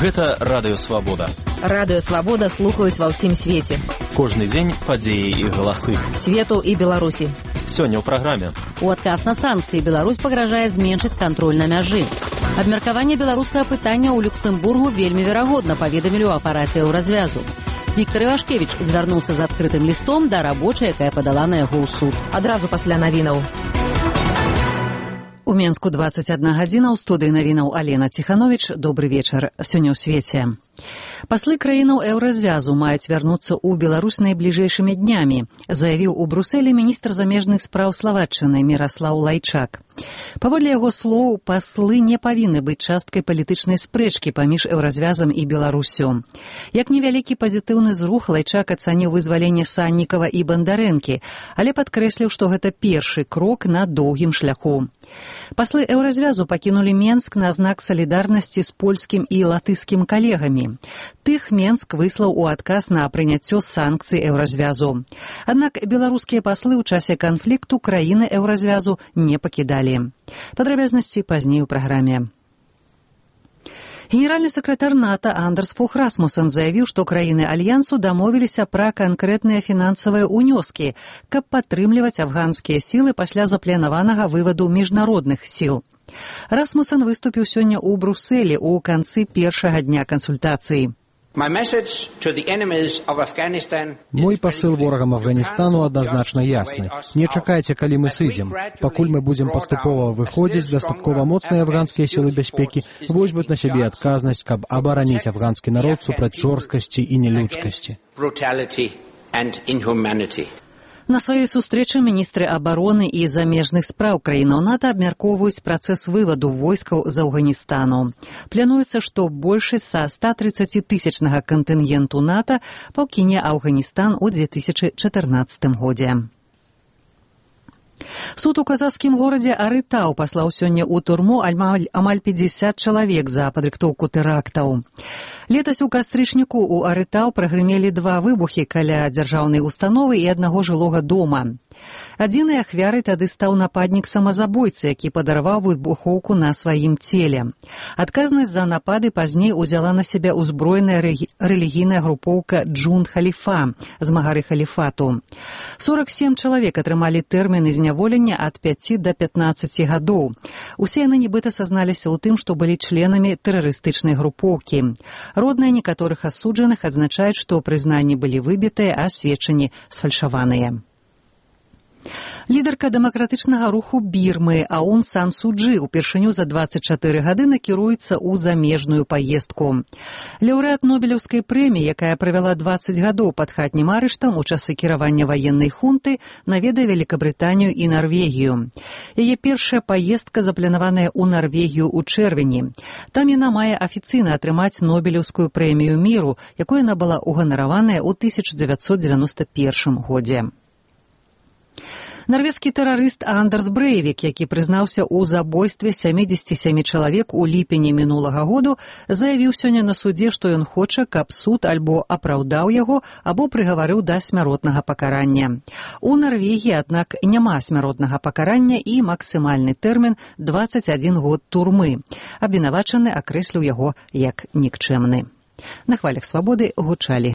Гэта Радыё Свабода. Радыё Свабода слухаюць ва ўсім свеце. Кожны дзень падзеі і галасы. Свету і Беларусі. Сёння ў праграме. У адказ на санкцыі Беларусь пагражае зменшыць кантроль на мяжы. Абмеркаванне беларускага пытання ў Люксембургу вельмі верагодна, паведамілі ў апараце «Еўразвязу». Віктор Івашкевіч звярнуўся з адкрытым лістом да рабочай, якая падала на яго ў суд. Адразу пасля навінаў. У Менску 21 гадзіна, ў студыі навінаў Алена Ціхановіч. Добры вечар. Сёння ў свеце. Паслы краінаў Еўразвязу маюць вярнуцца ў Беларусь найбліжэйшымі днямі, заявіў у Брусэлі міністр замежных спраў Славаччыны Міраслаў Лайчак. Паводле яго слоў, паслы не павінны быць часткай палітычнай спрэчкі паміж Еўразвязам і Беларусю. Як невялікі пазітыўны зрух, Лайчак ацаніў вызваленне Саннікава і Бандарэнкі, але падкрэсліў, што гэта першы крок на доўгім шляху. Паслы Еўразвязу пакінулі Менск на знак салідарнасці з польскім і латыскім калегамі. Тых Менск выслаў у адказ на прыняццё санкцый Еўразвязу. Аднак беларускія паслы ў часе канфлікту краіны Еўразвязу не пакідалі. Падрабязнасці пазней у праграме. Генеральны сакратар НАТО Андерс Фог Расмуссен заявіў, што краіны Альянсу дамовіліся пра канкрэтныя фінансавыя ўнёскі, каб падтрымліваць афганскія сілы пасля запланаванага вываду міжнародных сіл. Расмуссен выступіў сёння ў Брусэлі ў канцы першага дня кансультацыі. Мой пасыл ворагам Афганістану адназначна ясны. Не чакайце, калі мы сыдзем. Пакуль мы будзем паступова выходзіць, дастаткова моцныя афганскія сілы бяспекі возьмуць на сябе адказнасць, каб абараніць афганскі народ супраць жорсткасці і нелюдскасці. На сваёй сустрэчы міністры абароны і замежных спраў краінаў НАТО абмяркоўваюць працэс вываду войскаў з Афганістану. Плануецца, што большасць са 130-тысячнага кантынгенту НАТО пакіне Афганістан у 2014 годзе. Суд у казахскім горадзе Арытау паслаў сёння ў турму амаль 50 чалавек за падрыхтоўку тэрактаў. Летась у кастрычніку ў Арытау прагрымелі 2 выбухі каля дзяржаўнай установы і аднаго жылога дома. Адзінай ахвярай тады стаў нападнік-самазабойца, які падарваў выбухоўку на сваім целе. Адказнасць за напады пазней узяла на сябе ўзброеная рэлігійная групоўка Джунд-Халіфа, змагары халіфату. 47 чалавек атрымалі тэрміны зняволення ад 5 да 15 гадоў. Усе яны нібыта сазналіся ў тым, што былі членамі тэрарыстычнай групоўкі. Родныя некаторых асуджаных адзначаюць, што прызнанні былі выбітыя, а сведчанні сфальшаваныя. Лідарка дэмакратычнага руху Бірмы Аун Сан Су Чжы упершыню за 24 гады накіруецца ў замежную паездку. Лаўрэат Нобелеўскай прэміі, якая правяла 20 гадоў пад хатнім арыштам у часы кіравання ваеннай хунты, наведае Великабрытанію і Нарвегію. Яе першая паездка запланаваная ў Нарвегію ў чэрвені. Там яна мае афіцыйна атрымаць Нобелеўскую прэмію міру, якой яна была ўганараваная ў 1991 годзе. Нарвежскі тэрарыст Андерс Брэйвік, які прызнаўся ў забойстве 77 чалавек у ліпені мінулага году, заявіў сёння на судзе, што ён хоча, каб суд альбо апраўдаў яго, або прыгаварыў да смяротнага пакарання. У Нарвегіі, аднак, няма смяротнага пакарання і максімальны тэрмін 21 год турмы. Абвінавачаны акрэсліў яго як нікчэмны. На хвалях свабоды гучалі